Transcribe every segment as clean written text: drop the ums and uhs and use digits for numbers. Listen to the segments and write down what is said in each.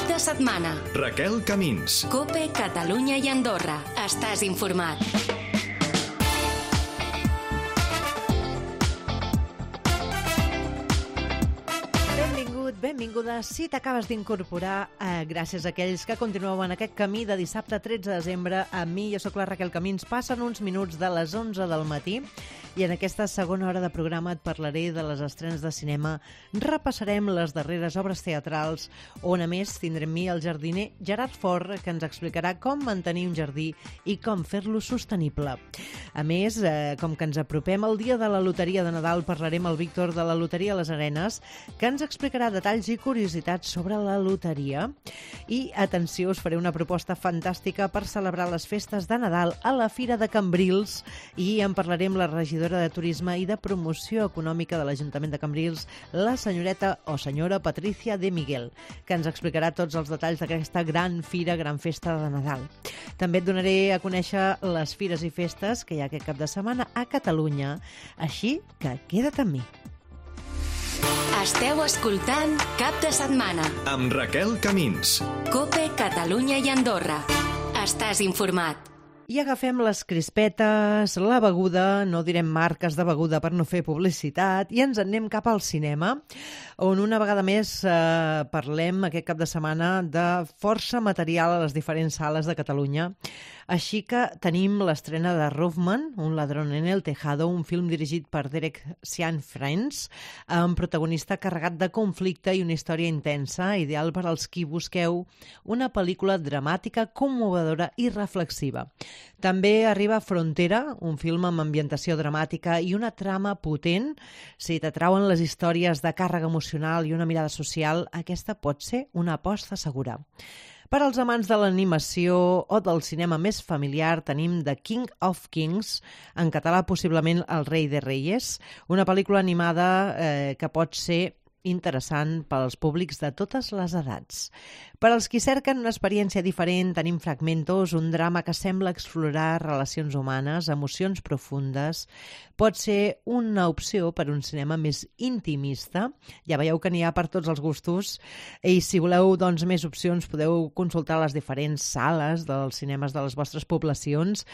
de setmana. Raquel Camins. COPE, Catalunya i Andorra. Estàs informat. Benvinguda. Si t'acabes d'incorporar, gràcies a aquells que continueu en aquest camí de dissabte 13 de desembre, amb mi, jo sóc la Raquel Camins, passen uns minuts de les 11 del matí i en aquesta segona hora de programa et parlaré de les estrenes de cinema, repassarem les darreres obres teatrals, on a més tindrem mi el jardiner Gerard Fort, que ens explicarà com mantenir un jardí i com fer-lo sostenible. A més, com que ens apropem al dia de la loteria de Nadal, parlarem amb el Víctor de la Loteria Les Arenes, que ens explicarà detalls i curiositats sobre la loteria. I, atenció, us faré una proposta fantàstica per celebrar les festes de Nadal a la Fira de Cambrils i en parlaré amb la regidora de Turisme i de Promoció Econòmica de l'Ajuntament de Cambrils, la senyoreta o senyora Patricia de Miguel, que ens explicarà tots els detalls d'aquesta gran fira, gran festa de Nadal. També et donaré a conèixer les fires i festes que hi ha aquest cap de setmana a Catalunya, així que queda't amb mi. Esteu escoltant Cap de Setmana amb Raquel Camins. COPE, Catalunya i Andorra. Estàs informat. I agafem les crispetes, la beguda, no direm marques de beguda per no fer publicitat, i ens en anem cap al cinema, on una vegada més parlem aquest cap de setmana de força material a les diferents sales de Catalunya. Així que tenim l'estrena de Roofman, Un ladrón en el tejado, un film dirigit per Derek Cianfrance, amb protagonista carregat de conflicte i una història intensa, ideal per als qui busqueu una pel·lícula dramàtica, commovedora i reflexiva. També arriba Frontera, un film amb ambientació dramàtica i una trama potent. Si t'atrauen les històries de càrrega emocional i una mirada social, aquesta pot ser una aposta segura. Per als amants de l'animació o del cinema més familiar tenim The King of Kings, en català possiblement El rei de Reyes, una pel·lícula animada que pot ser interessant pels públics de totes les edats. Per als qui cerquen una experiència diferent, tenim Fragmentos, un drama que sembla explorar relacions humanes, emocions profundes. Pot ser una opció per un cinema més intimista. Ja veieu que n'hi ha per tots els gustos. I si voleu més opcions, podeu consultar les diferents sales dels cinemes de les vostres poblacions.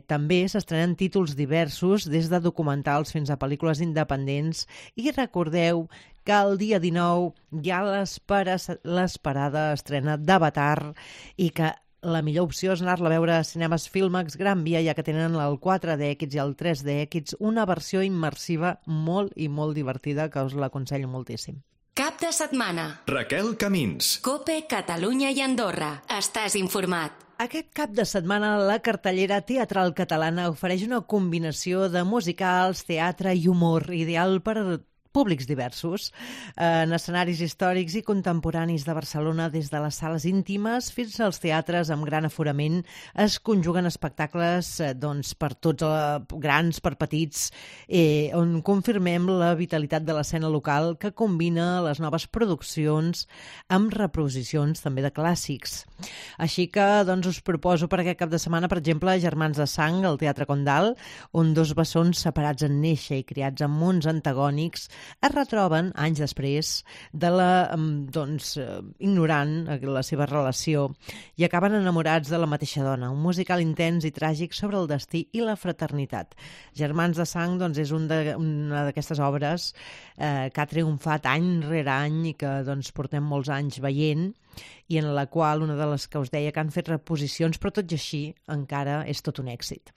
També s'estrenen títols diversos, des de documentals fins a pel·lícules independents. I recordeu que el dia 19 hi ha l'esperada estrena d'Avatar i que la millor opció és anar-la a veure a Cinemes Filmax Gran Via, ja que tenen el 4DX i el 3DX, una versió immersiva molt i molt divertida que us l'aconsello moltíssim. Cap de setmana. Raquel Camins. COPE, Catalunya i Andorra. Estàs informat. Aquest cap de setmana la cartellera teatral catalana ofereix una combinació de musicals, teatre i humor, ideal per públics diversos, en escenaris històrics i contemporanis de Barcelona, des de les sales íntimes fins als teatres amb gran aforament. Es conjuguen espectacles per tots, grans per petits, on confirmem la vitalitat de l'escena local, que combina les noves produccions amb reposicions també de clàssics. Així que us proposo per aquest cap de setmana, per exemple, Germans de Sang, al Teatre Condal, on dos bessons separats en néixer i criats en mons antagònics es retroben anys després de ignorant la seva relació i acaben enamorats de la mateixa dona. Un musical intens i tràgic sobre el destí i la fraternitat. Germans de Sang és una d'aquestes obres que ha triomfat any rere any i que portem molts anys veient, i en la qual una de les que us deia que han fet reposicions, però tot i així encara és tot un èxit.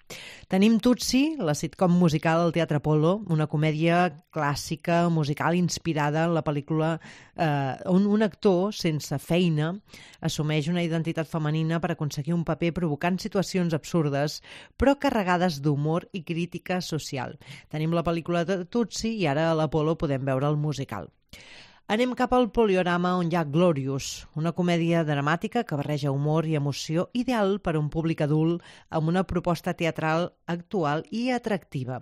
Tenim Tutsi, la sitcom musical al Teatre Apolo, una comèdia clàssica musical inspirada en la pel·lícula on un actor sense feina assumeix una identitat femenina per aconseguir un paper provocant situacions absurdes però carregades d'humor i crítica social. Tenim la pel·lícula de Tutsi i ara a l'Apolo podem veure el musical. Anem cap al Poliorama, on hi ha Glorious, una comèdia dramàtica que barreja humor i emoció, ideal per a un públic adult amb una proposta teatral actual i atractiva.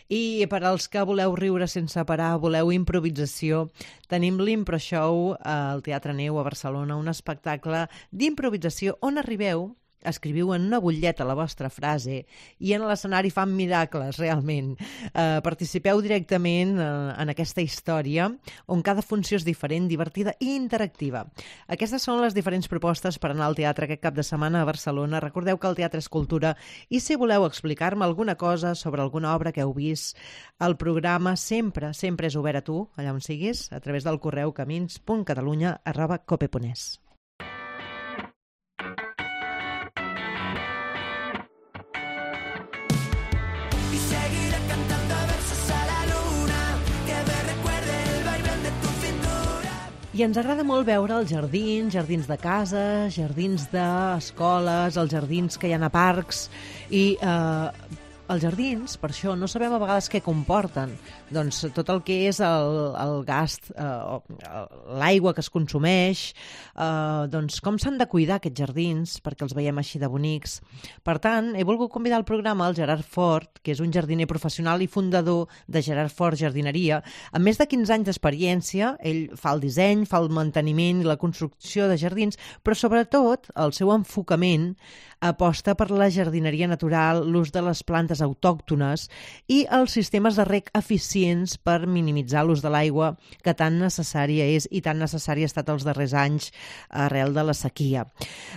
I per als que voleu riure sense parar, voleu improvisació, tenim l'Impro Show al Teatre Neu a Barcelona, un espectacle d'improvisació on arribeu escriviu en una butlleta la vostra frase i en l'escenari fan miracles, realment. Participeu directament en aquesta història on cada funció és diferent, divertida i interactiva. Aquestes són les diferents propostes per anar al teatre aquest cap de setmana a Barcelona. Recordeu que el teatre és cultura i si voleu explicar-me alguna cosa sobre alguna obra que heu vist, el programa sempre és obert a tu, allà on siguis, a través del correu camins.catalunya@cope.es. I ens agrada molt veure els jardins de casa, jardins d'escoles, els jardins que hi ha a parcs i els jardins, per això, no sabem a vegades què comporten. Doncs tot el que és el gast, l'aigua que es consumeix, doncs com s'han de cuidar aquests jardins perquè els veiem així de bonics. Per tant, he volgut convidar al programa el Gerard Fort, que és un jardiner professional i fundador de Gerard Fort Jardineria. Amb més de 15 anys d'experiència, ell fa el disseny, fa el manteniment i la construcció de jardins, però sobretot el seu enfocament aposta per la jardineria natural, l'ús de les plantes autòctones i els sistemes de reg eficients per minimitzar l'ús de l'aigua que tan necessària és i tan necessària ha estat els darrers anys arrel de la sequia.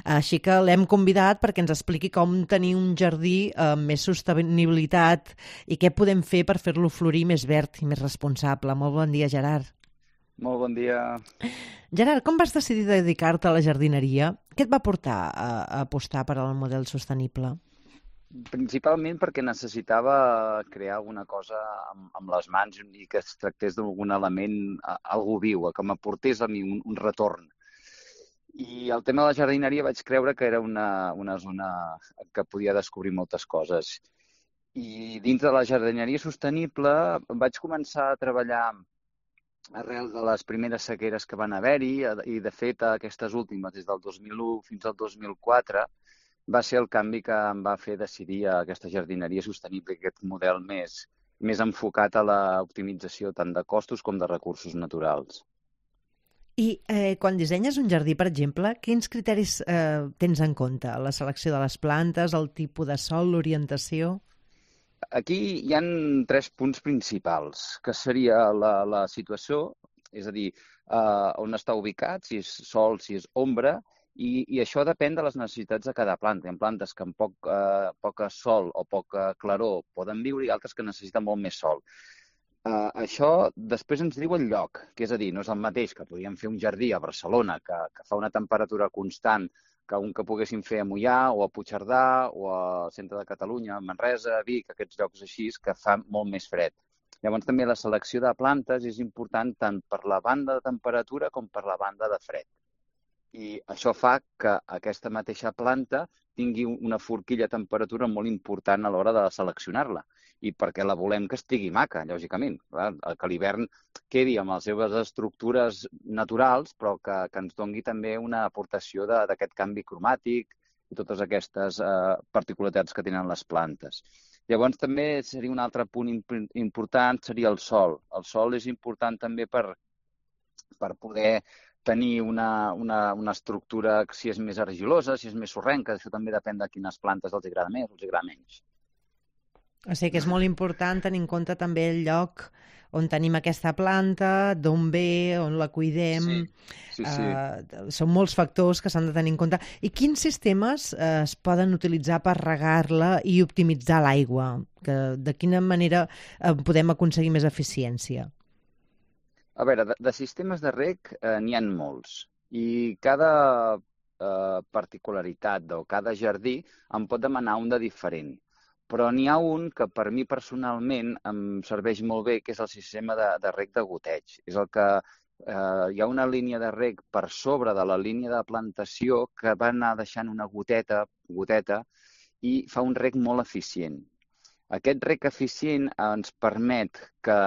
Així que l'hem convidat perquè ens expliqui com tenir un jardí amb més sostenibilitat i què podem fer per fer-lo florir més verd i més responsable. Molt bon dia, Gerard. Molt bon dia. Gerard, com vas decidir dedicar-te a la jardineria? Què et va portar a apostar per al model sostenible? Principalment perquè necessitava crear alguna cosa amb les mans i que es tractés d'algun element, algú viu, que m'aportés a mi un retorn. I el tema de la jardineria vaig creure que era una zona que podia descobrir moltes coses. I dintre de la jardineria sostenible vaig començar a treballar arrel de les primeres sequeres que van haver-hi i, de fet, aquestes últimes, des del 2001 fins al 2004, va ser el canvi que em va fer decidir aquesta jardineria sostenible, aquest model més enfocat a l'optimització tant de costos com de recursos naturals. I quan dissenyes un jardí, per exemple, quins criteris tens en compte? La selecció de les plantes, el tipus de sòl, l'orientació? Aquí hi ha 3 punts principals, que seria la situació, és a dir, on està ubicat, si és sol, si és ombra, i això depèn de les necessitats de cada planta. Hi ha plantes que amb poc sol o poca claror poden viure i altres que necessiten molt més sol. Això després ens diu el lloc, que és a dir, no és el mateix que podríem fer un jardí a Barcelona que fa una temperatura constant que un que poguéssim fer a Moià o a Puigcerdà o al centre de Catalunya, a Manresa, a Vic, aquests llocs així que fa molt més fred. Llavors també la selecció de plantes és important tant per la banda de temperatura com per la banda de fred. I això fa que aquesta mateixa planta tingui una forquilla de temperatura molt important a l'hora de seleccionar-la. I perquè la volem que estigui maca, lògicament. Que a l'hivern quedi amb les seves estructures naturals, però que ens doni també una aportació d'aquest canvi cromàtic i totes aquestes particularitats que tenen les plantes. Llavors també seria un altre punt important, seria el sol. El sol és important també per poder tenir una estructura, si és més argilosa, si és més sorrenca, això també depèn de quines plantes els agrada més o els agrada menys. O sigui que és molt important tenir en compte també el lloc on tenim aquesta planta, d'on ve, on la cuidem. Sí. Són molts factors que s'han de tenir en compte. I quins sistemes es poden utilitzar per regar-la i optimitzar l'aigua? De quina manera podem aconseguir més eficiència? A veure, de sistemes de reg n'hi ha molts i cada particularitat o cada jardí em pot demanar un de diferent. Però n'hi ha un que per mi personalment em serveix molt bé, que és el sistema de reg de goteig. És el que hi ha una línia de reg per sobre de la línia de plantació que va anar deixant una goteta i fa un reg molt eficient. Aquest reg eficient ens permet que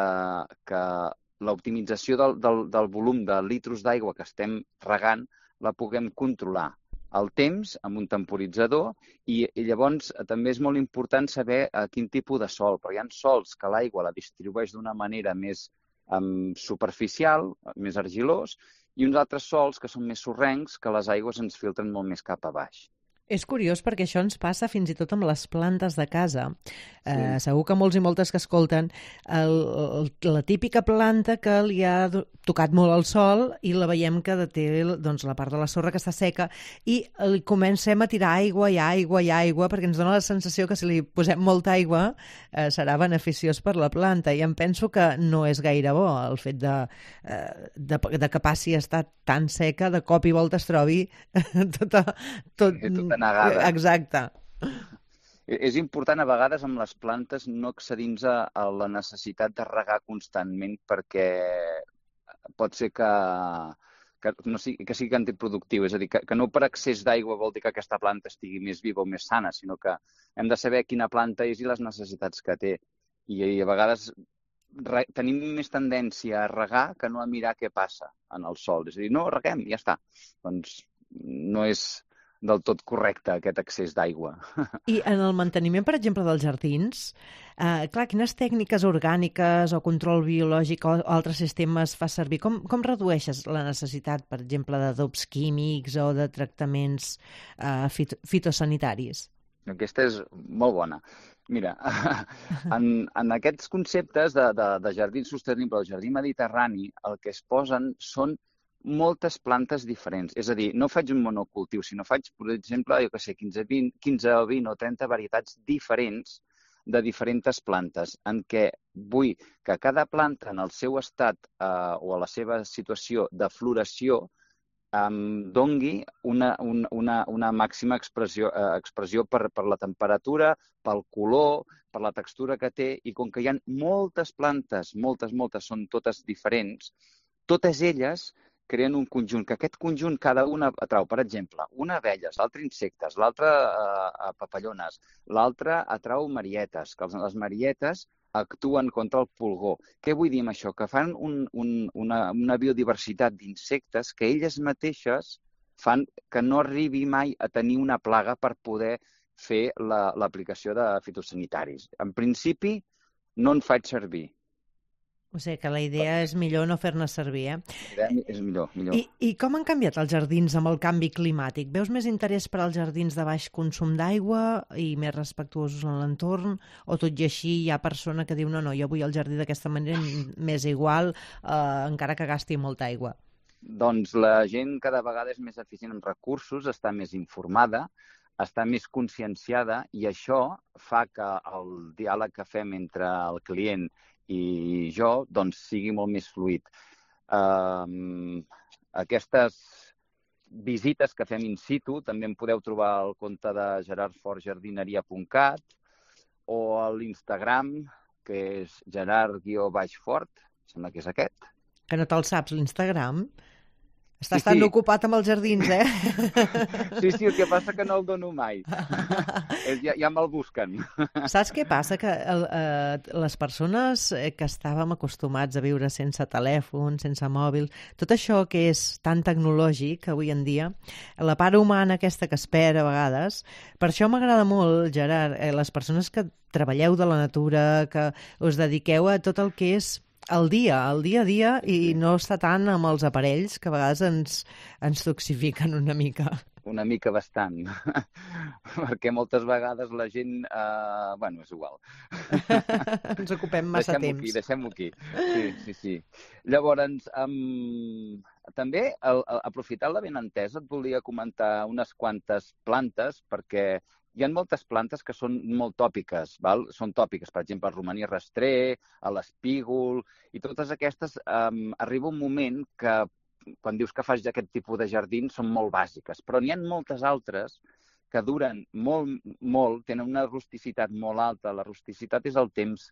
l'optimització del volum de litros d'aigua que estem regant la puguem controlar al temps amb un temporitzador i llavors també és molt important saber quin tipus de sol, però hi ha sols que l'aigua la distribueix d'una manera més superficial, més argilós, i uns altres sols que són més sorrencs que les aigües ens filtren molt més cap a baix. És curiós perquè això ens passa fins i tot amb les plantes de casa. Sí. Segur que molts i moltes que escolten la típica planta que li ha tocat molt el sol i la veiem que té doncs, la part de la sorra que està seca i li comencem a tirar aigua i aigua i aigua perquè ens dona la sensació que si li posem molta aigua serà beneficiós per la planta i em penso que no és gaire bo el fet de que passi a estar tan seca, de cop i volta es trobi tota negada. Exacte. És important a vegades amb les plantes no accedir-nos a la necessitat de regar constantment perquè pot ser que sigui antiproductiu. És a dir, que no per excés d'aigua vol dir que aquesta planta estigui més viva o més sana, sinó que hem de saber quina planta és i les necessitats que té. I a vegades tenim més tendència a regar que no a mirar què passa en el sòl. És a dir, no, reguem, ja està. Doncs no és del tot correcte aquest excés d'aigua. I en el manteniment, per exemple, dels jardins, clar, quines tècniques orgàniques o control biològic o altres sistemes fas servir? Com redueixes la necessitat, per exemple, d'adobs químics o de tractaments fitosanitaris? Aquesta és molt bona. Mira, en aquests conceptes de jardí sostenible o jardí mediterrani, el que es posen són moltes plantes diferents. És a dir, no faig un monocultiu, sinó faig, per exemple, 15 o 20 o 30 varietats diferents de diferents plantes, en què vull que cada planta en el seu estat o a la seva situació de floració dongui una màxima expressió per la temperatura, pel color, per la textura que té, i com que hi ha moltes plantes, moltes, són totes diferents, totes elles creen un conjunt, que aquest conjunt cada una atrau, per exemple, una abelles, l'altra insectes, l'altra papallones, l'altra atrau marietes, que les marietes actuen contra el pulgó. Què vull dir amb això? Que fan una biodiversitat d'insectes que elles mateixes fan que no arribi mai a tenir una plaga per poder fer l'aplicació de fitosanitaris. En principi, no en faig servir. O sigui que la idea és millor no fer-ne servir, És millor. I com han canviat els jardins amb el canvi climàtic? Veus més interès per als jardins de baix consum d'aigua i més respectuosos en l'entorn? O tot i així hi ha persona que diu no, jo vull el jardí d'aquesta manera, m'és igual, encara que gasti molta aigua? Doncs la gent cada vegada és més eficient en recursos, està més informada, està més conscienciada i això fa que el diàleg que fem entre el client i jo doncs, sigui molt més fluid. Aquestes visites que fem in situ també en podeu trobar al compte de gerardfortjardineria.cat o a l'Instagram, que és gerard_fort, sembla que és aquest. Que no te'l saps, l'Instagram? Estàs tan ocupat amb els jardins, Sí, el que passa que no el dono mai. Ja me'l busquen. Saps què passa? Que les persones que estàvem acostumats a viure sense telèfon, sense mòbil, tot això que és tan tecnològic avui en dia, la part humana aquesta que es perd a vegades, per això m'agrada molt, Gerard, les persones que treballeu de la natura, que us dediqueu a tot el que és el dia a dia i no està tant amb els aparells que a vegades ens toxifiquen una mica. Una mica bastant, perquè moltes vegades la gent... és igual. Ens ocupem massa temps. Deixem-ho aquí. Sí. Llavors, també, aprofitant la benentesa, et volia comentar unes quantes plantes, perquè hi ha moltes plantes que són molt tòpiques, val? Són tòpiques, per exemple, el romaní rastrer, l'espígol, i totes aquestes arriba un moment que quan dius que fas aquest tipus de jardins són molt bàsiques, però n'hi ha moltes altres que duren molt, tenen una rusticitat molt alta. La rusticitat és el temps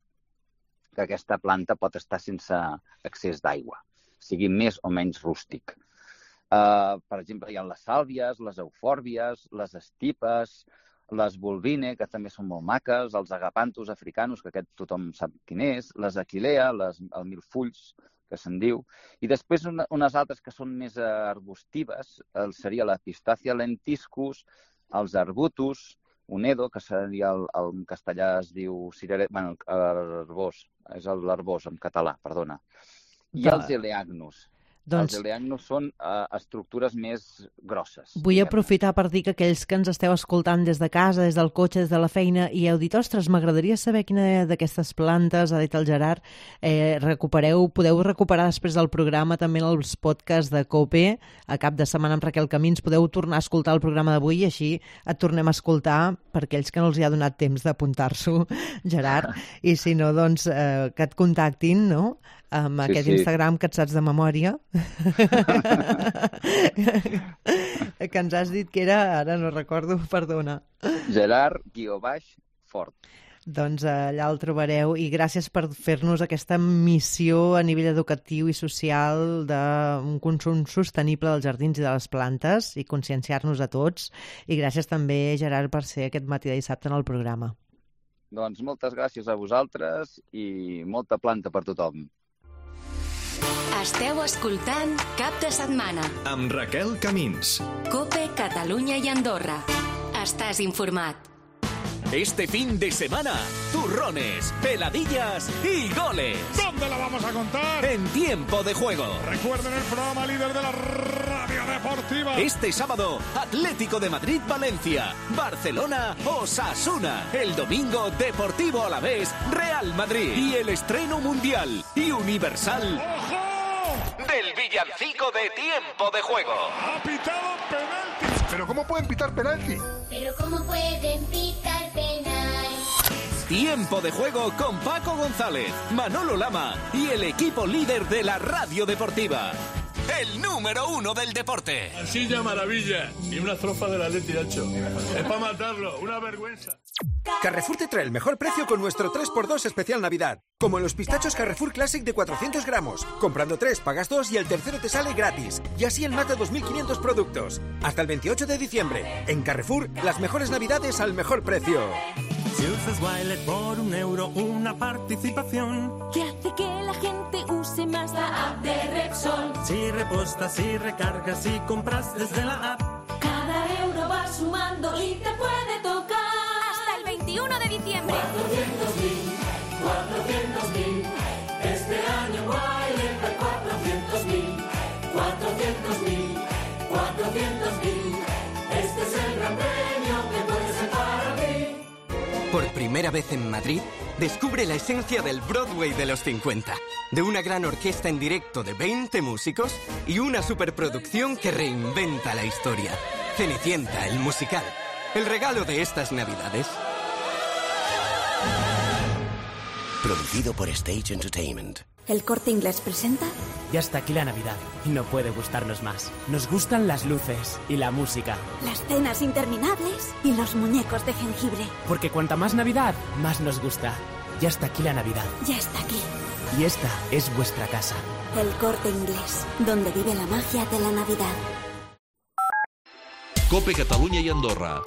que aquesta planta pot estar sense excés d'aigua, sigui més o menys rústic. Per exemple, hi ha les sàlvies, les eufòrbies, les estipes, les bulbine, que també són molt maques, els agapanthus africanus, que aquest tothom sap quin és, les aquilea, el milfulls, que se'n diu, i després unes altres que són més arbustives, seria la pistàcia lentiscus, els arbutus, unedo, que seria en castellà es diu arbós, és l'arbós en català, perdona, i els eleagnus. Els Eleagnos són estructures més grosses. Vull aprofitar per dir que aquells que ens esteu escoltant des de casa, des del cotxe, des de la feina, i heu dit, ostres, m'agradaria saber quina d'aquestes plantes, ha dit el Gerard, podeu recuperar després del programa també els podcasts de COPE, a cap de setmana amb Raquel Camins, podeu tornar a escoltar el programa d'avui i així et tornem a escoltar per aquells que no els hi ha donat temps d'apuntar-s'ho, Gerard, i si no, doncs, que et contactin, no?, amb aquest Instagram que et saps de memòria, que ens has dit que era, ara no recordo, perdona. Gerard_Fort. Doncs allà el trobareu, i gràcies per fer-nos aquesta missió a nivell educatiu i social d'un consum sostenible dels jardins i de les plantes i conscienciar-nos a tots. I gràcies també, Gerard, per ser aquest matí de dissabte en el programa. Doncs moltes gràcies a vosaltres i molta planta per tothom. Esteu escoltant Cap de Setmana amb Raquel Camins. COPE Catalunya i Andorra. Estàs informat. Este fin de semana, turrones, peladillas y goles. ¿Dónde la vamos a contar? En Tiempo de Juego. Recuerden el programa líder de la radio deportiva. Este sábado, Atlético de Madrid-Valencia, Barcelona-Osasuna. El domingo, Deportivo Alavés, Real Madrid. Y el estreno mundial y universal del villancico de Tiempo de Juego. Ha pitado penalti. ¿Pero cómo pueden pitar penalti? ¿Pero cómo pueden pitar penalti? Tiempo de Juego con Paco González, Manolo Lama y el equipo líder de la radio deportiva. El número 1 del deporte. Silla maravilla y una estrofa de la Leti Nacho. Es para matarlo, una vergüenza. Carrefour te trae el mejor precio con nuestro 3x2 especial Navidad. Como en los pistachos Carrefour Classic de 400 gramos. Comprando 3, pagas 2 y el tercero te sale gratis. Y así en más de 2.500 productos. Hasta el 28 de diciembre. En Carrefour, las mejores Navidades al mejor precio. Si usas Wilet por €1, una participación que hace que la gente use más la app de Repsol. Si repostas, si recargas, si compras desde la app, cada euro va sumando y te puede tocar. Hasta el 21 de diciembre. 400.000. Este año Wilet hay 400.000. 400.000. Este es el gran premio que puede ser para ti. Por primera vez en Madrid, descubre la esencia del Broadway de los 50. De una gran orquesta en directo de 20 músicos y una superproducción que reinventa la historia. Cenicienta, el musical. El regalo de estas Navidades. Producido por Stage Entertainment. ¿El Corte Inglés presenta? Ya está aquí la Navidad y no puede gustarnos más. Nos gustan las luces y la música. Las cenas interminables y los muñecos de jengibre. Porque cuanta más Navidad, más nos gusta. Ya está aquí la Navidad. Ya está aquí. Y esta es vuestra casa. El Corte Inglés, donde vive la magia de la Navidad. COPE Catalunya i Andorra.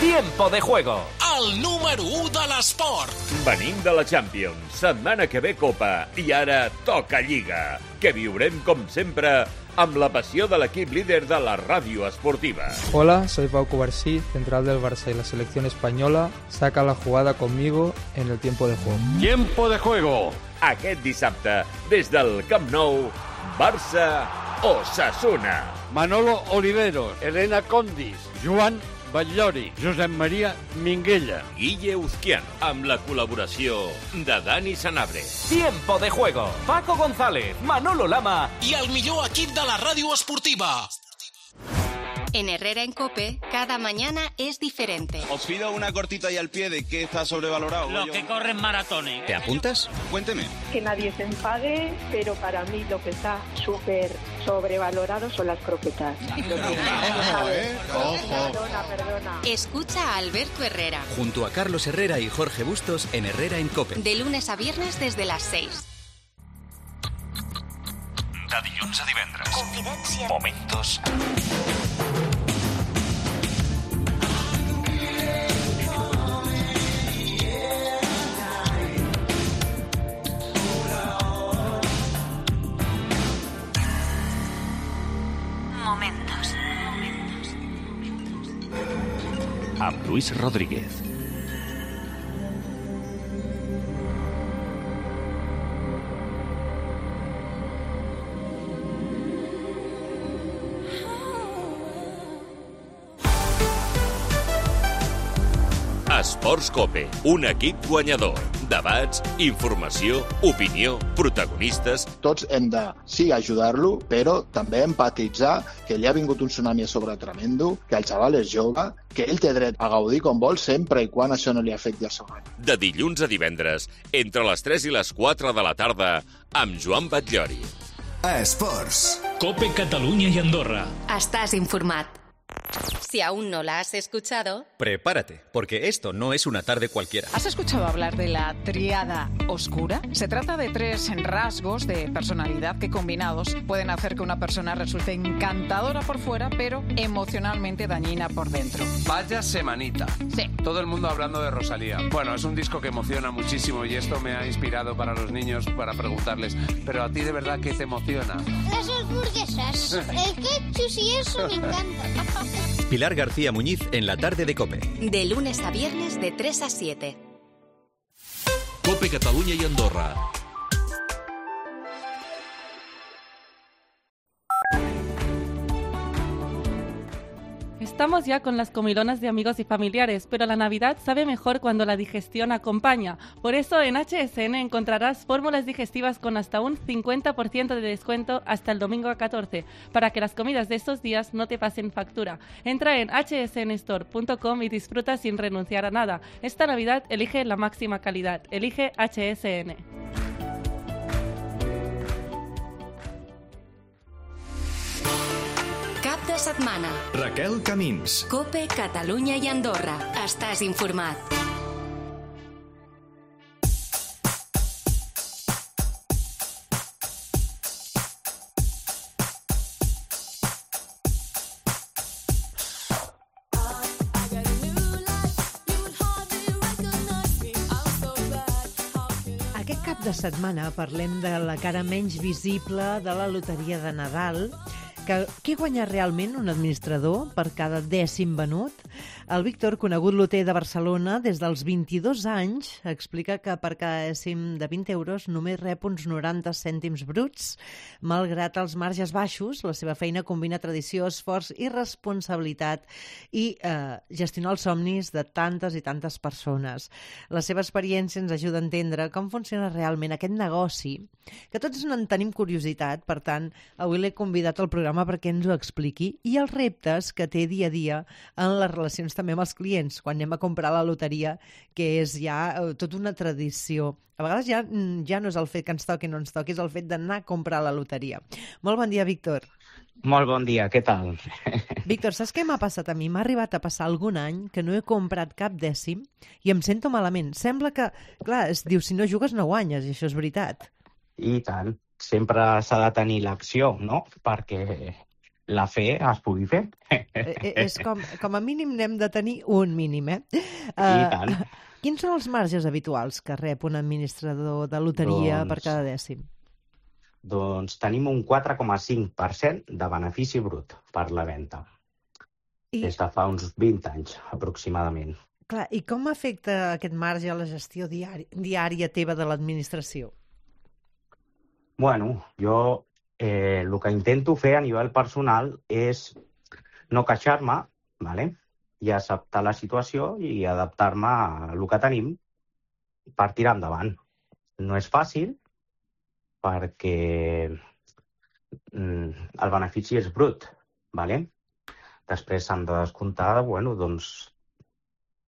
Tiempo de Juego. El número 1 de l'esport. Venim de la Champions, setmana que ve Copa i ara toca Lliga, que viurem com sempre amb la passió de l'equip líder de la ràdio esportiva. Hola, soy Pau Covarsí, central del Barça y la selección española saca la jugada conmigo en el Tiempo de Juego. Tiempo de Juego. Aquest dissabte, des del Camp Nou, Barça-Osasuna. Manolo Olivero, Elena Condis, Joan Batllori, Josep Maria Minguella, Guille Uzquiano, amb la col·laboració de Dani Sanabria. Tiempo de Juego. Paco González, Manolo Lama i el millor equip de la ràdio esportiva. En Herrera en COPE, cada mañana es diferente. Os pido una cortita y al pie de qué está sobrevalorado. Lo que corren maratones. ¿Te apuntas? Cuénteme. Que nadie se enfade, pero para mí lo que está súper sobrevalorado son las croquetas. Perdona. Escucha a Alberto Herrera. Junto a Carlos Herrera y Jorge Bustos en Herrera en COPE. De lunes a viernes desde las 6. De dilluns a divendres. Confidència. Momentos. Momentos. Amb Luis Rodríguez. Esports Cope, un equip guanyador. Debats, informació, opinió, protagonistes... Tots hem de, sí, ajudar-lo, però també empatitzar que li ha vingut un tsunami a sobre tremendo, que el xaval és jove, que ell té dret a gaudir com vol sempre i quan això no li afecti el seu any. De dilluns a divendres, entre les 3 i les 4 de la tarda, amb Joan Batllori. Esports. Cope Catalunya y Andorra. Estás informat. Si aún no la has escuchado... Prepárate, porque esto no es una tarde cualquiera. ¿Has escuchado hablar de la tríada oscura? Se trata de 3 rasgos de personalidad que combinados pueden hacer que una persona resulte encantadora por fuera, pero emocionalmente dañina por dentro. Vaya semanita. Sí. Todo el mundo hablando de Rosalía. Bueno, es un disco que emociona muchísimo y esto me ha inspirado para los niños para preguntarles, ¿pero a ti de verdad qué te emociona? Las hamburguesas. El ketchup y eso me encanta. Pilar García Muñiz en la tarde de COPE. De lunes a viernes de 3 a 7. Cope Catalunya y Andorra. Estamos ya con las comilonas de amigos y familiares, pero la Navidad sabe mejor cuando la digestión acompaña. Por eso en HSN encontrarás fórmulas digestivas con hasta un 50% de descuento hasta el domingo 14, para que las comidas de estos días no te pasen factura. Entra en hsnstore.com y disfruta sin renunciar a nada. Esta Navidad elige la máxima calidad. Elige HSN. Cap de setmana. Raquel Camins. Cope Catalunya i Andorra. Estàs informat. Aquest cap de setmana parlem de la cara menys visible de la loteria de Nadal. Què guanya realment un administrador per cada 10 venut? El Víctor, conegut loter de Barcelona, des dels 22 anys, explica que per cada dècim de 20 euros només rep uns 90 cèntims bruts. Malgrat els marges baixos, la seva feina combina tradició, esforç i responsabilitat i gestionar els somnis de tantes i tantes persones. La seva experiència ens ajuda a entendre com funciona realment aquest negoci, que tots en tenim curiositat. Per tant, avui l'he convidat al programa perquè ens ho expliqui, i els reptes que té dia a dia en les relacions també amb els clients, quan anem a comprar la loteria, que és ja tota una tradició. A vegades ja no és el fet que ens toqui o no ens toqui, és el fet d'anar a comprar la loteria. Molt bon dia, Víctor. Molt bon dia, què tal? Víctor, saps què m'ha passat a mi? M'ha arribat a passar algun any que no he comprat cap dècim i em sento malament. Sembla que, clar, es diu, si no jugues no guanyes, i això és veritat. I tant, sempre s'ha de tenir l'acció, no?, perquè la fe es pugui fer. És com a mínim n'hem de tenir un mínim, I tant. Quins són els marges habituals que rep un administrador de loteria per cada dècim? Doncs tenim un 4,5% de benefici brut per la venda. Des de fa uns 20 anys, aproximadament. Clar, i com afecta aquest marge a la gestió diària teva de l'administració? Bueno, jo el que intento fer a nivell personal és no queixar-me, ¿vale?, i acceptar la situació i adaptar-me a el que tenim per tirar endavant. No és fàcil perquè el benefici és brut, ¿vale? Després s'han de descomptar, bueno, doncs,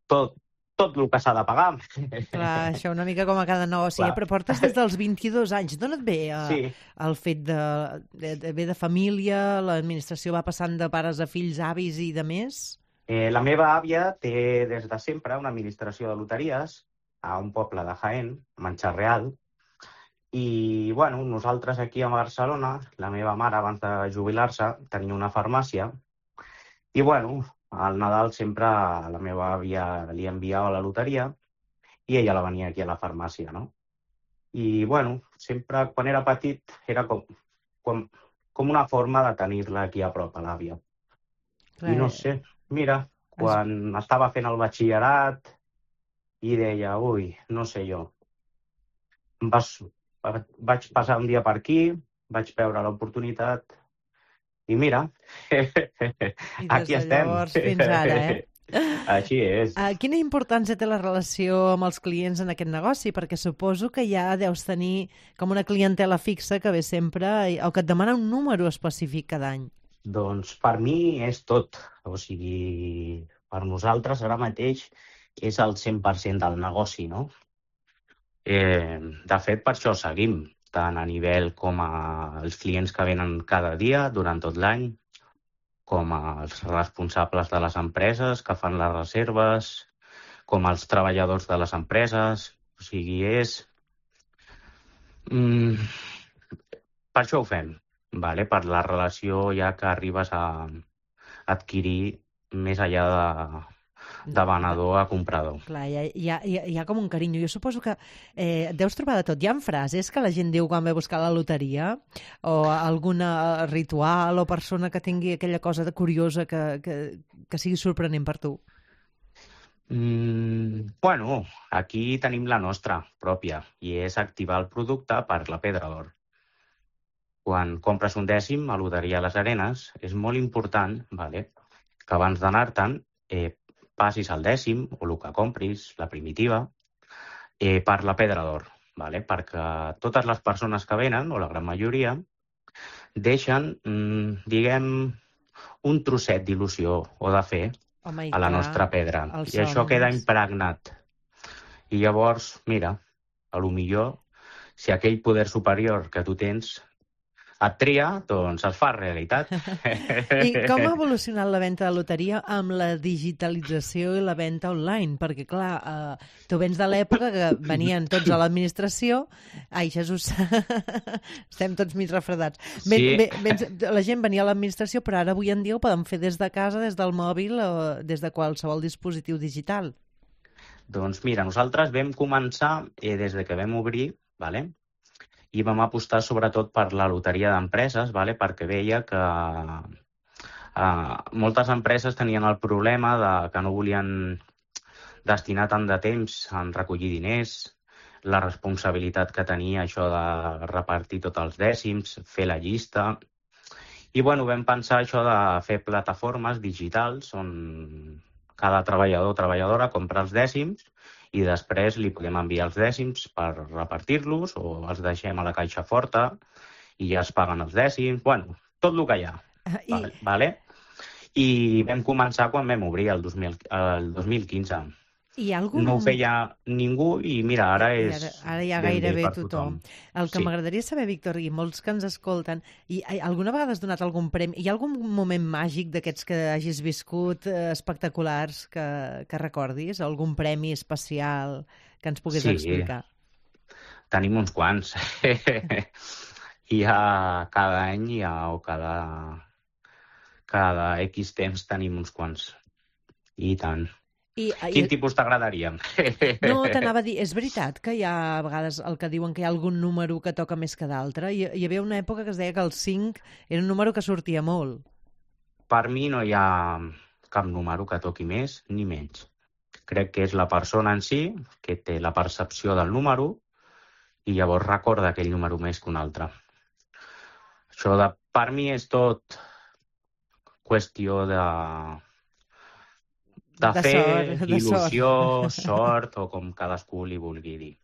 tot el que s'ha de pagar. Clar, això una mica com a cada negoci, però portes des dels 22 anys. D'on et ve el fet de família, l'administració va passant de pares a fills, avis i de més? La meva àvia té des de sempre una administració de loteries a un poble de Jaén, Manxarreal, i bueno, nosaltres aquí a Barcelona, la meva mare abans de jubilar-se tenia una farmàcia, i bueno, al Nadal sempre a la meva àvia li enviava la loteria i ella la venia aquí a la farmàcia, no? I, bueno, sempre quan era petit era com una forma de tenir-la aquí a prop, a l'àvia. I no sé, mira, quan estava fent el batxillerat i deia, ui, no sé jo, vaig passar un dia per aquí, vaig veure l'oportunitat i mira, aquí estem. Llavors, fins ara, Així és. Quina importància té la relació amb els clients en aquest negoci? Perquè suposo que ja deus tenir com una clientela fixa que ve sempre o que et demana un número específic cada any. Doncs per mi és tot. O sigui, per nosaltres ara mateix és el 100% del negoci, no? De fet, per això seguim, tant a nivell com els clients que venen cada dia durant tot l'any, com els responsables de les empreses que fan les reserves, com els treballadors de les empreses. O sigui, és... Per això ho fem, vale? Per la relació ja que arribes a adquirir més enllà de venedor a comprador. Clar, hi ha com un carinyo. Jo suposo que deus trobar de tot. Hi ha frases que la gent diu quan ve a buscar la loteria o algun ritual o persona que tingui aquella cosa de curiosa que sigui sorprenent per tu? Bueno, aquí tenim la nostra pròpia i és activar el producte per la Pedra d'Or. Quan compres un dècim a Loteria Les Arenes és molt important, vale, que abans d'anar-te'n passis el dècim o el que compris, la primitiva, per la Pedra d'Or, vale? Perquè totes les persones que venen, o la gran majoria, deixen, diguem, un trosset d'il·lusió o de fe a la nostra pedra. I això queda impregnat. I llavors, mira, a lo millor, si aquell poder superior que tu tens et tria, doncs es fa realitat. I com ha evolucionat la venda de loteria amb la digitalització i la venda online? Perquè, clar, tu vens de l'època que venien tots a l'administració. Ai, Jesús, estem tots mig refredats. La gent venia a l'administració, però ara avui en dia ho poden fer des de casa, des del mòbil o des de qualsevol dispositiu digital. Doncs mira, nosaltres vam començar des de que vam obrir, vale? I vam apostar sobretot per la loteria d'empreses, vale? Perquè veia que moltes empreses tenien el problema que no volien destinar tant de temps en recollir diners, la responsabilitat que tenia això de repartir tots els dècims, fer la llista. I bueno, vam pensar això de fer plataformes digitals on cada treballador o treballadora compra els dècims i després li podem enviar els dècims per repartir-los o els deixem a la caixa forta i ja es paguen els dècims. Bueno, tot el que hi ha. Vale? I vam començar quan vam obrir el 2015. No ho feia ningú i mira, ara és... Ara ja gairebé tothom. El que m'agradaria saber, Víctor, i molts que ens escolten, i alguna vegada has donat algun premi? Hi ha algun moment màgic d'aquests que hagis viscut espectaculars que recordis? Algun premi especial que ens puguis explicar? Tenim uns quants. Cada any o cada X temps tenim uns quants. I tant. Quin tipus t'agradaria? No, t'anava a dir, és veritat que hi ha a vegades el que diuen que hi ha algun número que toca més que d'altre? Hi havia una època que es deia que el 5 era un número que sortia molt. Per mi no hi ha cap número que toqui més ni menys. Crec que és la persona en si que té la percepció del número i llavors recorda aquell número més que un altre. Això per mi és tot qüestió de fer, il·lusió, sort, o com cadascú li vulgui dir.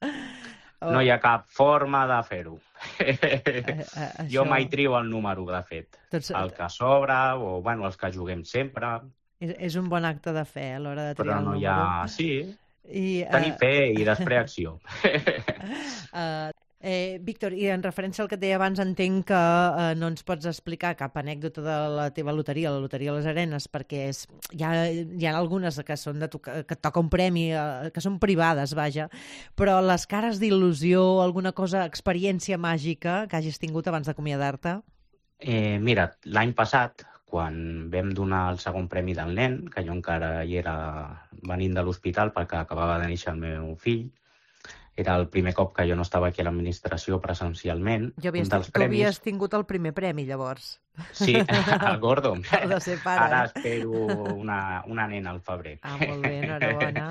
No hi ha cap forma de fer-ho. Jo mai trio el número, de fet. El que sobra, o els que juguem sempre. És un bon acte de fe a l'hora de triar el número. Però no hi ha... Sí, tenir fe i després acció. Víctor, i en referència al que et deia abans, entenc que no ens pots explicar cap anècdota de la teva loteria, la Loteria Les Arenes, perquè hi ha algunes que són que et toca un premi, que són privades, vaja, però les cares d'il·lusió, alguna cosa, experiència màgica que hagis tingut abans d'acomiadar-te? Mira, l'any passat, quan vam donar el segon premi del nen, que jo encara hi era venint de l'hospital perquè acabava de néixer el meu fill, era el primer cop que jo no estava aquí a l'administració presencialment. Tu havies tingut el primer premi, llavors. Sí, el gordo. El de ser pare. Ara espero una nena al febrer. Molt bé, enhorabona.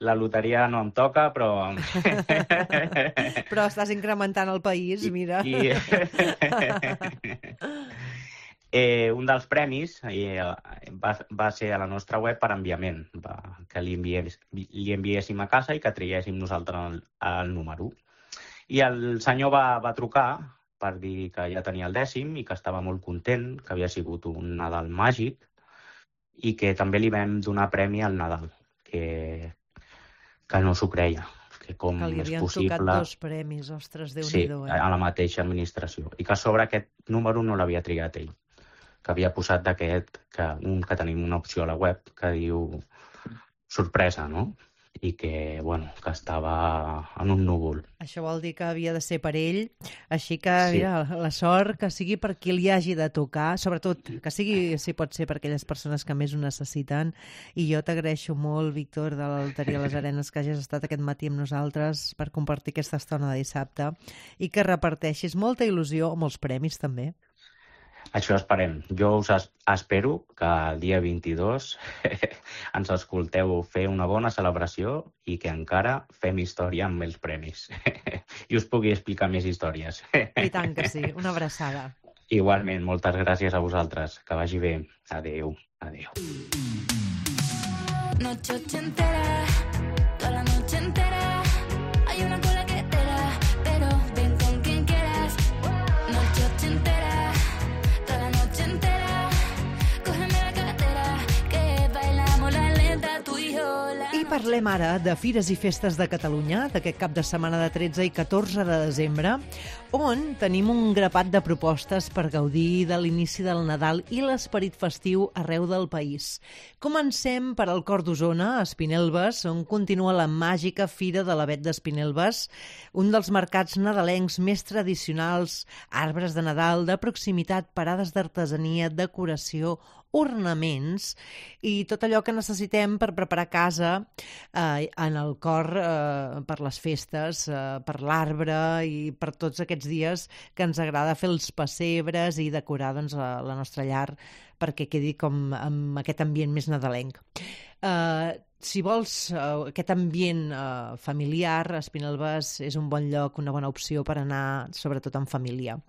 La loteria no em toca, però... Però estàs incrementant el país, mira. Un dels premis va ser a la nostra web per enviament, que li enviéssim a casa i que triéssim nosaltres el número. I el senyor va trucar per dir que ja tenia el 10è i que estava molt content, que havia sigut un Nadal màgic i que també li vam donar premi al Nadal, que no s'ho creia. Que li havien tocat 2 premis, ostres, Déu-n'hi-do. Sí, a la mateixa administració. I que a sobre aquest número no l'havia triat ell, que havia posat d'aquest, que tenim una opció a la web que diu sorpresa, no? I que, que estava en un núvol. Això vol dir que havia de ser per ell, així que mira, la sort que sigui per qui li hagi de tocar, sobretot que sigui, si pot ser, per aquelles persones que més ho necessiten. I jo t'agraeixo molt, Víctor, de la Loteria Les Arenes, que hagis estat aquest matí amb nosaltres per compartir aquesta estona de dissabte i que reparteixis molta il·lusió, molts premis també. Això esperem. Jo us espero que el dia 22 ens escolteu fer una bona celebració i que encara fem història amb els premis. I us pugui explicar més històries. I tant que sí. Una abraçada. Igualment, moltes gràcies a vosaltres. Que vagi bé. Adéu. Adéu. Noche ochentera, toda la noche entera, hay una cola que espera, pero ven con quien quieras. Noche ochentera, toda la noche entera, cógeme la cartera, que bailamos la lenta, tú y yo. I parlem ara de Fires i Festes de Catalunya, d'aquest cap de setmana de 13 i 14 de desembre, on tenim un grapat de propostes per gaudir de l'inici del Nadal i l'esperit festiu arreu del país. Comencem per al Cor d'Osona, a Espinelves, on continua la màgica Fira de l'Avet d'Espinelves, un dels mercats nadalencs més tradicionals, arbres de Nadal, de proximitat, parades d'artesania, decoració, ornaments i tot allò que necessitem per preparar casa en el cor per les festes, per l'arbre i per tots aquests dies que ens agrada fer els pessebres i decorar la nostra llar perquè quedi com amb aquest ambient més nadalenc. Si vols aquest ambient familiar, Espinelves és un bon lloc, una bona opció per anar, sobretot en família.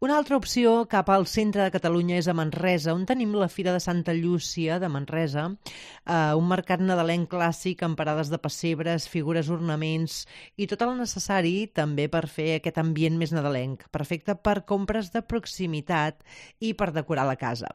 Una altra opció cap al centre de Catalunya és a Manresa, on tenim la Fira de Santa Llúcia de Manresa, un mercat nadalenc clàssic amb parades de pessebres, figures, ornaments i tot el necessari també per fer aquest ambient més nadalenc, perfecte per compres de proximitat i per decorar la casa.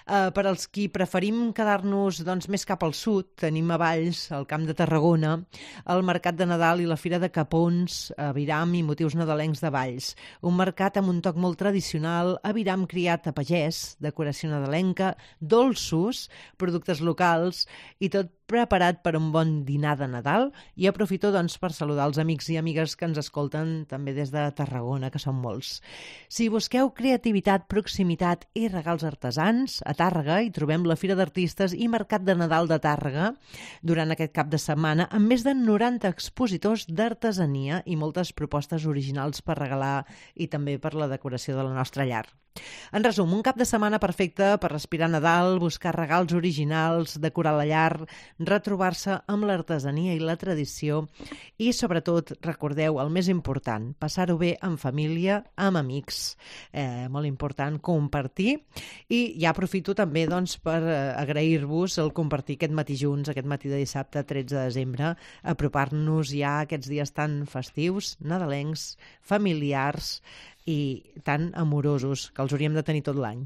Per als qui preferim quedar-nos més cap al sud, tenim a Valls, al Camp de Tarragona, el Mercat de Nadal i la Fira de Capons, aviram i motius nadalencs de Valls, un mercat amb un toc molt tradicional, aviram criat a pagès, decoració nadalenca, dolços, productes locals i tot preparat per un bon dinar de Nadal. I aprofito per saludar els amics i amigues que ens escolten també des de Tarragona, que són molts. Si busqueu creativitat, proximitat i regals artesans, a Tàrrega hi trobem la Fira d'Artistes i Mercat de Nadal de Tàrrega durant aquest cap de setmana amb més de 90 expositors d'artesania i moltes propostes originals per regalar i també per la decoració de la nostra llar. En resum, un cap de setmana perfecte per respirar Nadal, buscar regals originals, decorar la llar, retrobar-se amb l'artesania i la tradició i, sobretot, recordeu el més important, passar-ho bé en família, amb amics. Molt important, compartir. I ja aprofito també per agrair-vos el compartir aquest matí junts, aquest matí de dissabte 13 de desembre, apropar-nos ja a aquests dies tan festius, nadalencs, familiars i tan amorosos que els hauríem de tenir tot l'any.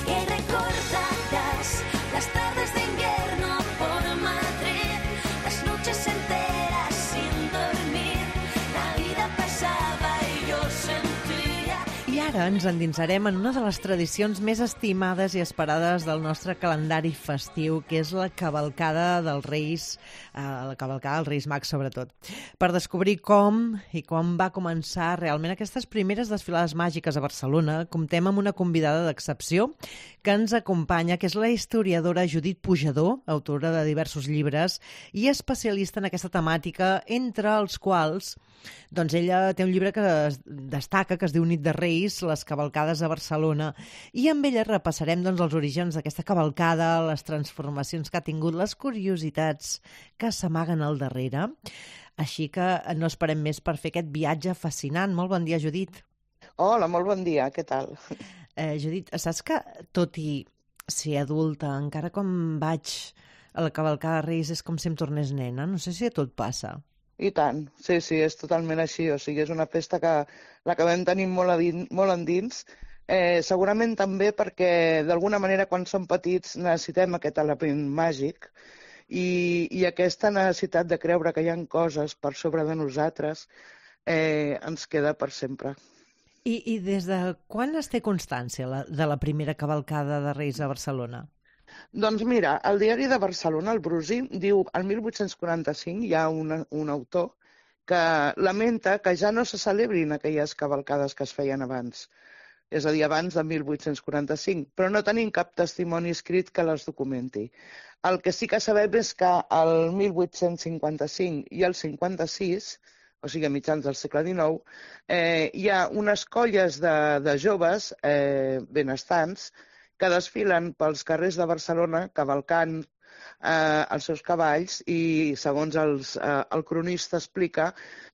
Que recordarás las tardes de invierno por Madrid, las noches enteras sin dormir, la vida pasaba y yo sentía. I ara ens endinsarem en una de les tradicions més estimades i esperades del nostre calendari festiu, que és la cavalcada dels Reis, la cavalcada dels Reis Mags, sobretot. Per descobrir com i quan va començar realment aquestes primeres desfilades màgiques a Barcelona, comptem amb una convidada d'excepció que ens acompanya, que és la historiadora Judit Pujador, autora de diversos llibres i especialista en aquesta temàtica, entre els quals ella té un llibre que destaca, que es diu Nit de Reis, les cavalcades a Barcelona, i amb ella repassarem doncs, els orígens d'aquesta cavalcada, les transformacions que ha tingut, les curiositats que s'amaguen al darrere. Així que no esperem més per fer aquest viatge fascinant. Molt bon dia, Judit. Hola, molt bon dia, què tal? Judit, saps que tot i ser adulta, encara quan vaig a la cavalcada de Reis és com si em tornés nena? No sé si a tot passa. I tant, sí, és totalment així. O sigui, és una festa que l'acabem tenint molt endins. Segurament també perquè, d'alguna manera, quan som petits necessitem aquest element màgic i aquesta necessitat de creure que hi ha coses per sobre de nosaltres ens queda per sempre. I des de quan es té constància de la primera cavalcada de Reis a Barcelona? Doncs mira, el diari de Barcelona, el Brusi, diu el 1845 hi ha un autor que lamenta que ja no se celebrin aquelles cavalcades que es feien abans. És a dir, abans de 1845, però no tenim cap testimoni escrit que les documenti. El que sí que sabem és que el 1855 i el 56, o sigui, a mitjans del segle XIX, hi ha unes colles de joves benestants que desfilen pels carrers de Barcelona cavalcant els seus cavalls i, segons el cronista explica,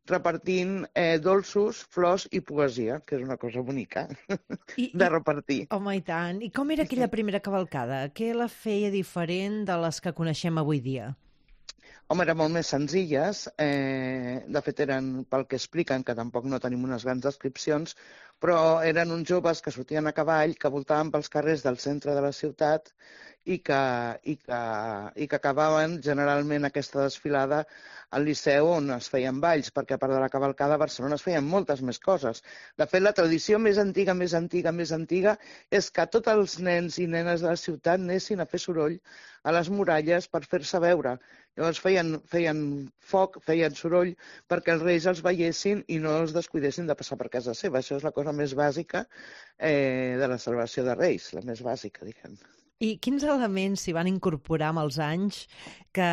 repartint dolços, flors i poesia, que és una cosa bonica de repartir. Home, i tant. I com era aquella primera cavalcada? Què la feia diferent de les que coneixem avui dia? Home, eren molt més senzilles. De fet, eren, pel que expliquen, que tampoc no tenim unes grans descripcions, però eren uns joves que sortien a cavall, que voltaven pels carrers del centre de la ciutat i que acabaven generalment aquesta desfilada al Liceu on es feien balls, perquè a part de la cavalcada a Barcelona es feien moltes més coses. De fet, la tradició més antiga és que tots els nens i nenes de la ciutat anessin a fer soroll a les muralles per fer-se veure. Llavors feien foc, feien soroll perquè els reis els veiessin i no els descuidessin de passar per casa seva. Això és la cosa més bàsica de la celebració de Reis, la més bàsica, diguem. I quins elements s'hi van incorporar amb els anys que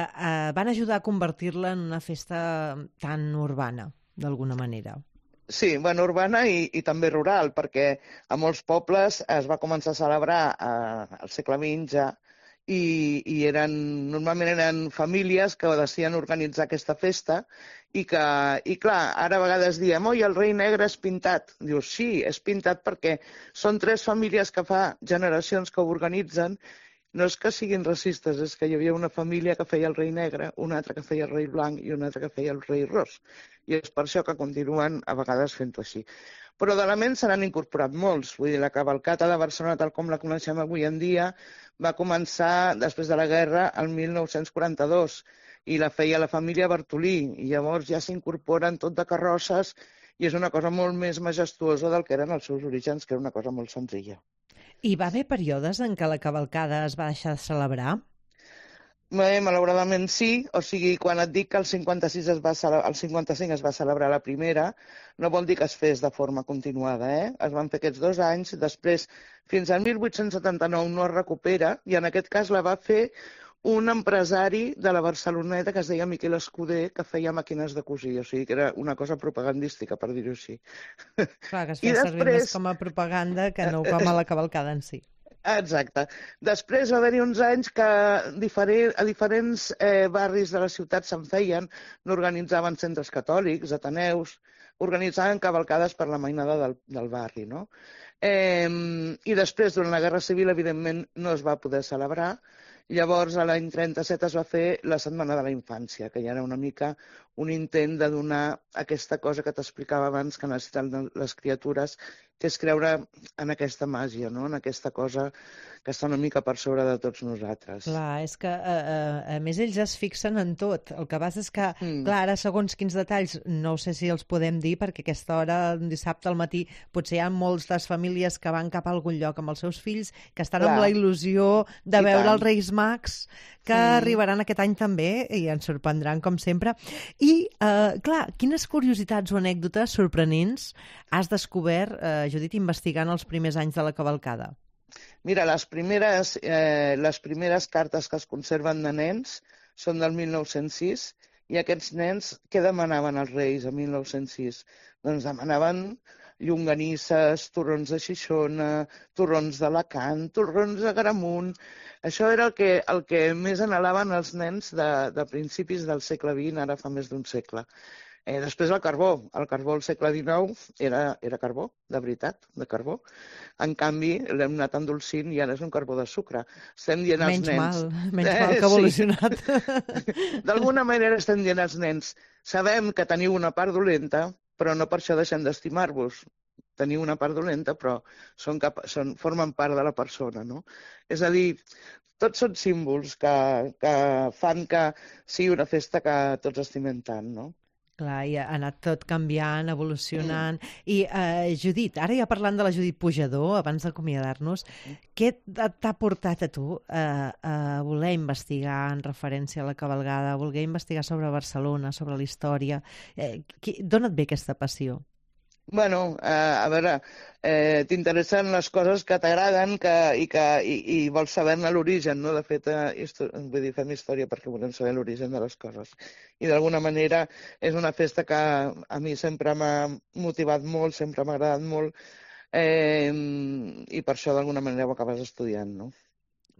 van ajudar a convertir-la en una festa tan urbana, d'alguna manera? Sí, bueno, urbana i també rural, perquè a molts pobles es va començar a celebrar al segle XX ja, i normalment eren famílies que decidien organitzar aquesta festa i clar, ara a vegades diem oi, el rei negre és pintat. Dius, sí, és pintat perquè són 3 famílies que fa generacions que ho organitzen. No és que siguin racistes, és que hi havia una família que feia el rei negre, una altra que feia el rei blanc i una altra que feia el rei ros. I és per això que continuen a vegades fent-ho així. Però d'elements se n'han incorporat molts. Vull dir, la cavalcata de Barcelona, tal com la coneixem avui en dia, va començar després de la guerra el 1942 i la feia la família Bartolí. I llavors ja s'incorporen tot de carrosses i és una cosa molt més majestuosa del que eren els seus orígens, que era una cosa molt senzilla. Hi va haver períodes en què la cavalcada es va deixar de celebrar? Malauradament sí, o sigui, quan et dic que el 55 es va celebrar la primera, no vol dir que es fes de forma continuada, Es van fer aquests 2 anys, després fins al 1879 no es recupera, i en aquest cas la va fer un empresari de la Barceloneta que es deia Miquel Escuder, que feia màquines de cosir, o sigui que era una cosa propagandística, per dir-ho així. Clar, que es feia servir més com a propaganda que no com a la cavalcada en si. Exacte. Després va haver-hi uns anys que a diferents barris de la ciutat se'n feien, n'organitzaven centres catòlics, ateneus, organitzaven cavalcades per la mainada del barri, no? I després, durant la Guerra Civil, evidentment, no es va poder celebrar. Llavors, a l'any 37 es va fer la Setmana de la Infància, que ja era una mica un intent de donar aquesta cosa que t'explicava abans que necessiten les criatures, que és creure en aquesta màgia, no? En aquesta cosa que està una mica per sobre de tots nosaltres. Clar, és que a més ells es fixen en tot. El que passa és que, clar, ara segons quins detalls, no sé si els podem dir, perquè a aquesta hora, un dissabte al matí, potser hi ha moltes famílies que van cap a algun lloc amb els seus fills, que estan amb la il·lusió de veure els Reis Mags, que arribaran aquest any també i ens sorprendran, com sempre. I, clar, quines curiositats o anècdotes sorprenents has descobert, Judit, investigant els primers anys de la cavalcada? Mira, les primeres cartes que es conserven de nens són del 1906 i aquests nens què demanaven als reis el 1906? Doncs demanaven llonganisses, torrons de Xixona, torrons d'Alacant, torrons de Gramunt. Això era el que més anhelaven els nens de principis del segle XX, ara fa més d'un segle. Després el carbó al segle XIX era carbó, de veritat, de carbó. En canvi, l'hem anat endolcint i ara és un carbó de sucre. Estem dient als nens... Menys mal que ha evolucionat. Sí. D'alguna manera estem dient als nens, sabem que teniu una part dolenta, però no per això deixem d'estimar-vos. Teniu una part dolenta, però formen part de la persona, no? És a dir, tots són símbols que fan que sigui una festa que tots estimem tant, no? Clar, i ha anat tot canviant, evolucionant. I, Judit, ara ja parlant de la Judit Pujador, abans d'acomiadar-nos, què t'ha portat a tu a voler investigar en referència a la cavalgada, a voler investigar sobre Barcelona, sobre la història? D'on et ve aquesta passió? Bueno, a veure, t'interessen les coses que t'agraden i vols saber-ne l'origen, no? De fet, vull dir, fem història perquè volem saber l'origen de les coses. I d'alguna manera és una festa que a mi sempre m'ha motivat molt, sempre m'ha agradat molt, i per això d'alguna manera ho acabes estudiant, no?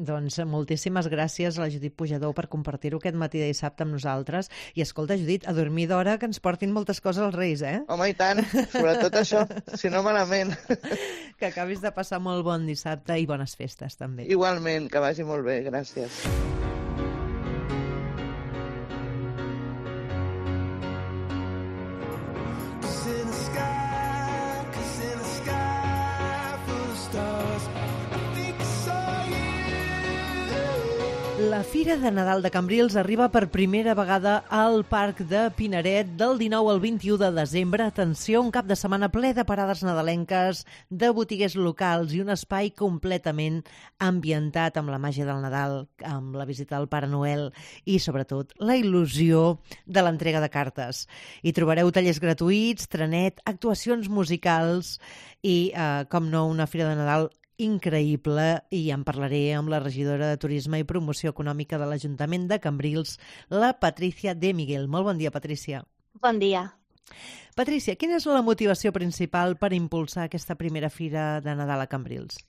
Doncs moltíssimes gràcies a la Judit Pujador per compartir-ho aquest matí de dissabte amb nosaltres. I escolta, Judit, a dormir d'hora, que ens portin moltes coses als Reis, eh? Home, i tant, sobretot això, si no malament. Que acabis de passar molt bon dissabte i bones festes, també. Igualment, que vagi molt bé, gràcies. La Fira de Nadal de Cambrils arriba per primera vegada al Parc de Pinaret del 19 al 21 de desembre. Atenció, un cap de setmana ple de parades nadalenques, de botiguers locals i un espai completament ambientat amb la màgia del Nadal, amb la visita del Pare Noel i, sobretot, la il·lusió de l'entrega de cartes. Hi trobareu tallers gratuïts, trenet, actuacions musicals i, com no, una Fira de Nadal increïble, i en parlaré amb la regidora de Turisme i Promoció Econòmica de l'Ajuntament de Cambrils, la Patricia de Miguel. Molt bon dia, Patricia. Bon dia. Patricia, quina és la motivació principal per impulsar aquesta primera Fira de Nadal a Cambrils?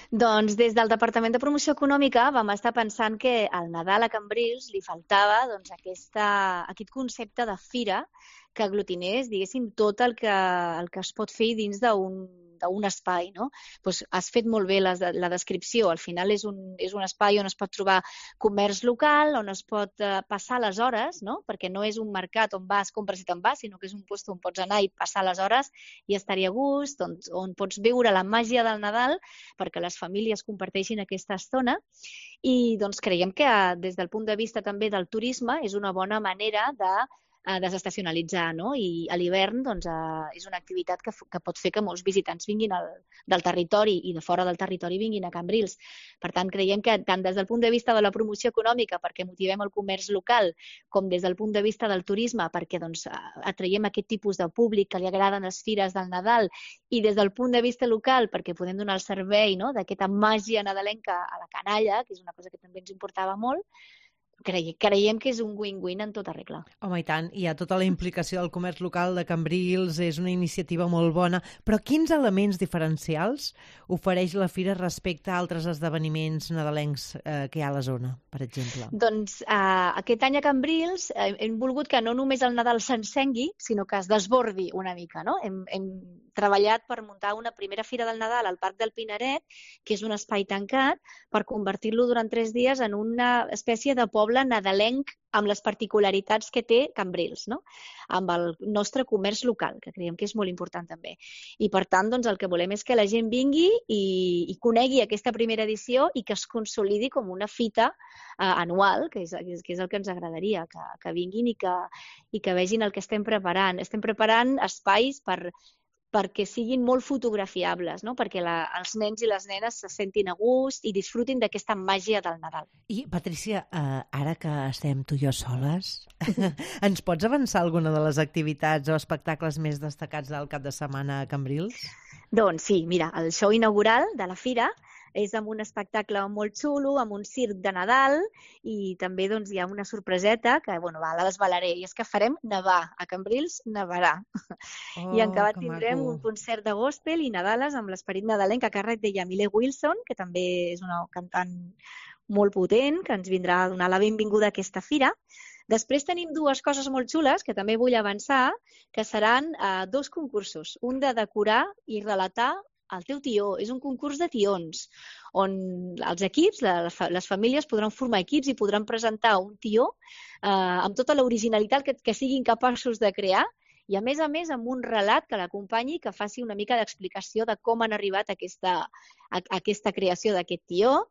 Doncs des del Departament de Promoció Econòmica vam estar pensant que al Nadal a Cambrils li faltava aquest concepte de fira que aglutinés, diguéssim, tot el que es pot fer dins d'un espai, no? Doncs has fet molt bé la descripció. Al final és un espai on es pot trobar comerç local, on es pot passar les hores, no? Perquè no és un mercat on vas, compres i te'n vas, sinó que és un lloc on pots anar i passar les hores i estar-hi a gust, on pots viure la màgia del Nadal perquè les famílies comparteixin aquesta estona. I doncs creiem que des del punt de vista també del turisme és una bona manera de desestacionalitzar, no? I a l'hivern doncs, és una activitat que pot fer que molts visitants vinguin del territori i de fora del territori vinguin a Cambrils. Per tant, creiem que tant des del punt de vista de la promoció econòmica, perquè motivem el comerç local, com des del punt de vista del turisme, perquè doncs, atraiem aquest tipus de públic que li agraden les fires del Nadal, i des del punt de vista local, perquè podem donar el servei, no? D'aquesta màgia nadalenca a la canalla, que és una cosa que també ens importava molt, creiem que és un win-win en tota regla. Home, i tant. Hi ha tota la implicació del comerç local de Cambrils, és una iniciativa molt bona, però quins elements diferencials ofereix la Fira respecte a altres esdeveniments nadalencs que hi ha a la zona, per exemple? Doncs aquest any a Cambrils hem volgut que no només el Nadal s'encengui, sinó que es desbordi una mica, no? Hem treballat per muntar una primera Fira del Nadal al Parc del Pinaret, que és un espai tancat, per convertir-lo durant 3 dies en una espècie de poble nadalenc amb les particularitats que té Cambrils, no? Amb el nostre comerç local, que creiem que és molt important també. I per tant, doncs, el que volem és que la gent vingui i conegui aquesta primera edició i que es consolidi com una fita anual, que és el que ens agradaria, que vinguin i que vegin el que estem preparant. Estem preparant espais perquè siguin molt fotografiables, no? Perquè els nens i les nenes se sentin a gust i disfrutin d'aquesta màgia del Nadal. I, Patricia, ara que estem tu i jo soles, ens pots avançar alguna de les activitats o espectacles més destacats del cap de setmana a Cambrils? Doncs sí, mira, el show inaugural de la Fira És amb un espectacle molt xulo, amb un circ de Nadal, i també doncs, hi ha una sorpreseta que la desvelaré, i és que farem nevar. A Cambrils nevarà. I en acabat tindrem un concert de gospel i Nadales amb l'esperit nadalenc a càrrec de Yamile Wilson, que també és una cantant molt potent, que ens vindrà a donar la benvinguda a aquesta fira. Després tenim dues coses molt xules que també vull avançar, que seran 2 concursos. Un de decorar i relatar el teu tió. És un concurs de tions, on els equips, les famílies, podran formar equips i podran presentar un tió amb tota l'originalitat que siguin capaços de crear, i a més amb un relat que l'acompanyi, que faci una mica d'explicació de com han arribat a aquesta creació d'aquest tió.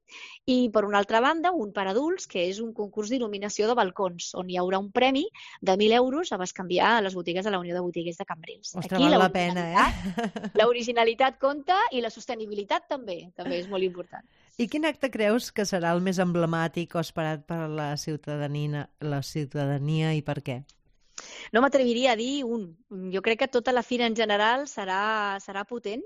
I, per una altra banda, un per adults, que és un concurs d'il·luminació de balcons, on hi haurà un premi de 1.000 euros a bescanviar a les botigues de la Unió de Botiguers de Cambrils. Ostres, val la pena, L'originalitat compta i la sostenibilitat també és molt important. I quin acte creus que serà el més emblemàtic o esperat per la ciutadania i per què? No m'atreviria a dir un. Jo crec que tota la fira en general serà potent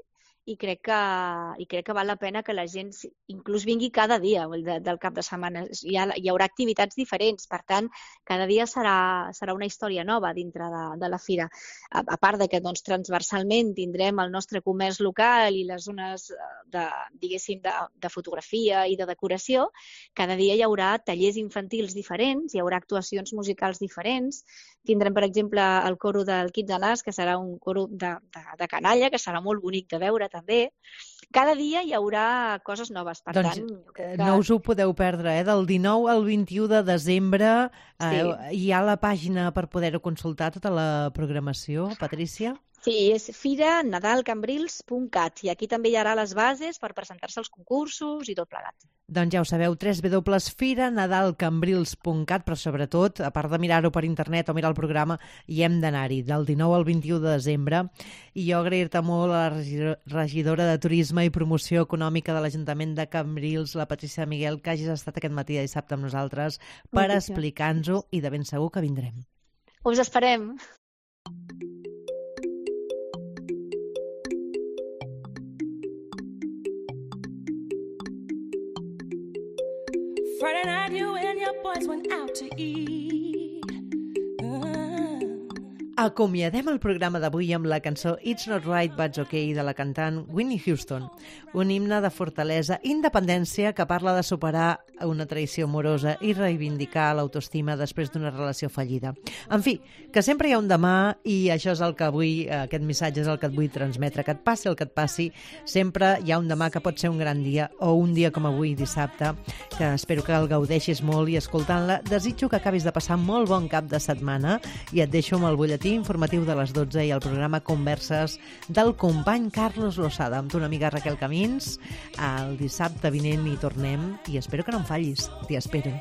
i crec que val la pena que la gent inclús vingui cada dia del cap de setmana. Hi haurà activitats diferents, per tant, cada dia serà una història nova dintre de la fira. A part de que transversalment tindrem el nostre comerç local i les zones de fotografia i de decoració, cada dia hi haurà tallers infantils diferents, hi haurà actuacions musicals diferents. Tindrem, per exemple, el coro del Kids and Us, que serà un coro de canalla, que serà molt bonic de veure també. Cada dia hi haurà coses noves, per tant... No us ho podeu perdre, del 19 al 21 de desembre hi ha la pàgina per poder-ho consultar, tota la programació, Patrícia? Sí, és firanadalcambrils.cat, i aquí també hi haurà les bases per presentar-se als concursos i tot plegat. Doncs ja ho sabeu, www.firanadalcambrils.cat, però sobretot, a part de mirar-ho per internet o mirar el programa, hi hem d'anar-hi, del 19 al 21 de desembre. I jo agrair-te molt a la regidora de Turisme i Promoció Econòmica de l'Ajuntament de Cambrils, la Patrícia Miguel, que hagis estat aquest matí de dissabte amb nosaltres per explicar-nos-ho, i de ben segur que vindrem. Us esperem. Friday night, you and your boys went out to eat. Acomiadem el programa d'avui amb la cançó It's Not Right But It's Okay de la cantant Whitney Houston, un himne de fortalesa i independència que parla de superar una traïció amorosa i reivindicar l'autoestima després d'una relació fallida. En fi, que sempre hi ha un demà, i això és el que avui, aquest missatge és el que et vull transmetre, que et passi el que et passi, sempre hi ha un demà que pot ser un gran dia, o un dia com avui, dissabte, que espero que el gaudeixis molt, i escoltant-la desitjo que acabis de passar molt bon cap de setmana, i et deixo amb el butlletí informatiu de les 12 i el programa Converses del company Carlos Losada amb tu, una amiga Raquel Camins. El dissabte vinent hi tornem i espero que no em fallis. T'hi espero.